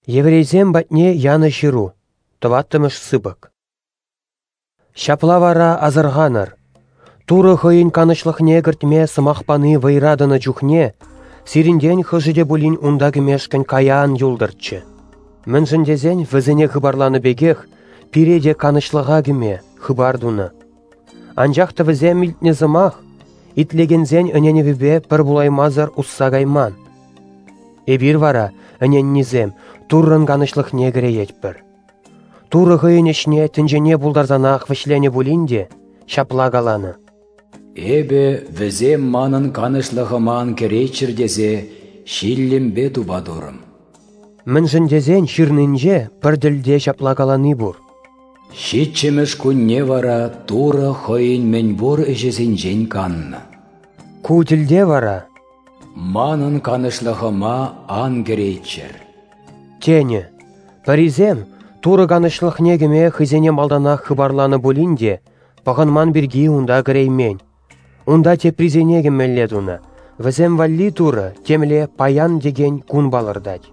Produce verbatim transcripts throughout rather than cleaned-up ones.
Еврейсем патне янӑ ҫыру, тӑваттӑмӗш сыпӑк. Ҫапла вара асӑрханӑр, Турӑ хӑйӗн канӑҫлӑхне кӗртме сӑмах пани вӑйра тӑнӑ чухне сирӗнтен хӑшӗ те пулин унта кӗмешкӗн кая ан юлтӑрччӗ. Мӗншӗн тесен вӗсене хыпарланӑ пекех пире те канӑҫлӑха кӗме хыпар тунӑ. Анчах та вӗсем илтнӗ сӑмах итлекенсен ӗненӗвӗпе пӗр пулаймасӑр усса кайман. Эпир вара, ӗненнисем, Туррӑн канӑҫлӑхне кӗреетпӗр. Турӑ хӑйӗн ӗҫне тӗнчене пултарсанах вӗҫленӗ пулин те ҫапла каланӑ: «Эпӗ вӗсем манӑн канӑҫлӑхӑма ан кӗрейччӗр тесе ҫиллӗмпе тупа турӑм». Мӗншӗн тесен ҫырнинче пӗр тӗлте ҫапла калани пур: «Ҫиччӗмӗш кунне вара Турӑ хӑйӗн мӗн пур ӗҫӗсенчен каннӑ». Ку тӗлте вара: «Манӑн канӑҫлӑхӑма ан кӗрейччӗр» тенӗ. Пӗрисем Турӑ канӑҫлӑхне кӗме хӑйсене малтанах хыпарланӑ пулин те пӑхӑнман пирки унта кӗреймен. Унта теприсене кӗмелле тунӑ, вӗсем валли Турӑ темле паян текен кун палӑртать.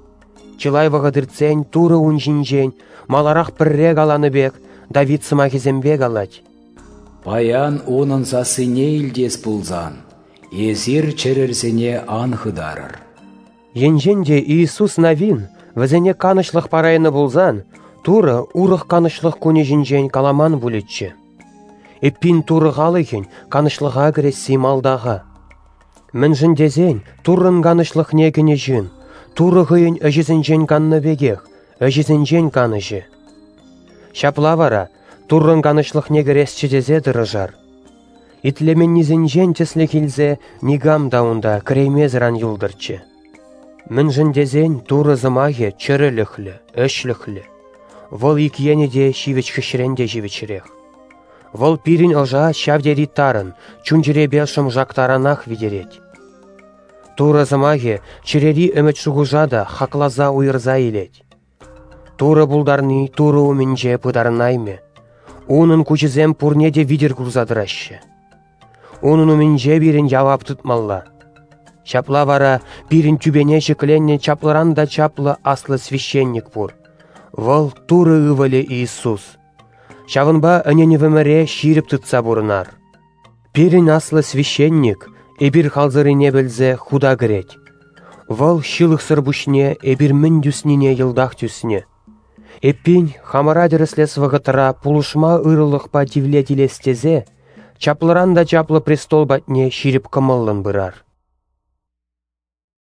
Чылай вӑхӑт иртсен Турӑ ун ҫинчен маларах пӗрре каланӑ пек Давид сӑмахӗсемпе калать: «Паян унӑн сассине илтес пулсан, эсир чӗрӗрсене ан хытарӑр». Енчен те Иисус Навин вӗсене канӑҫлӑх парайнӑ пулсан, Турӑ урӑх канӑҫлӑх кунӗ ҫинчен каламан пулӗччӗ. Эппин Турӑ халӑхӗн канӑҫлӑха кӗресси малта-ха. Мӗншӗн тесен Туррӑн канӑҫлӑхне кӗнӗ ҫын Турӑ хӑйӗн ӗҫӗсенчен каннӑ пекех ӗҫӗсенчен канӑҫӗ. Ҫапла вара Туррӑн канӑҫлӑхне кӗресчӗ тесе тӑрӑшар. Итлеменнисенчен тӗслӗх илсе никам та унта кӗреймесӗр ан юлтӑрччӗ. Мӗншӗн тесен Турӑ сӑмахӗ чӗрӗлӗхлӗ, ӗҫлӗхлӗ. Вӑл ик енӗ те ҫивӗч хӗҫрен те ҫивӗчрех. Вӑл пирӗн ӑша ҫав тери тарӑн, чун-чӗрепе шӑмшак таранах витерет. Турӑ сӑмахӗ чӗрери ӗмӗт-шухӑша та хакласа уйӑрса илет. Турӑ пултарни Турӑ умӗнче пытарӑнаймӗ. Унӑн куҫӗсем пурне те витӗр курса тӑраҫҫӗ. Унӑн умӗнче пирӗн явап тытмалла. Ҫапла вара пирӗн тӳпене ҫӗкленнӗ чаплӑран та чаплӑ аслӑ священник пур. Вӑл Турӑ ывӑлӗ Иисус. Ҫавӑнпа ӗненӗвӗмӗре ҫирӗп тытса пурӑнар. Пирӗн аслӑ священник эпир халсӑррине пӗлсе хута кӗрет. Вӑл ҫылӑхсӑр пуҫне эпир мӗн тӳснине йӑлтах тӳснӗ. Эппин, хамӑра тӗрӗслес вӑхӑтра пулӑшма ырӑлӑхпа тивлет илес тесе чаплӑран та чаплӑ престол патне ҫирӗп кӑмӑллӑн пырар.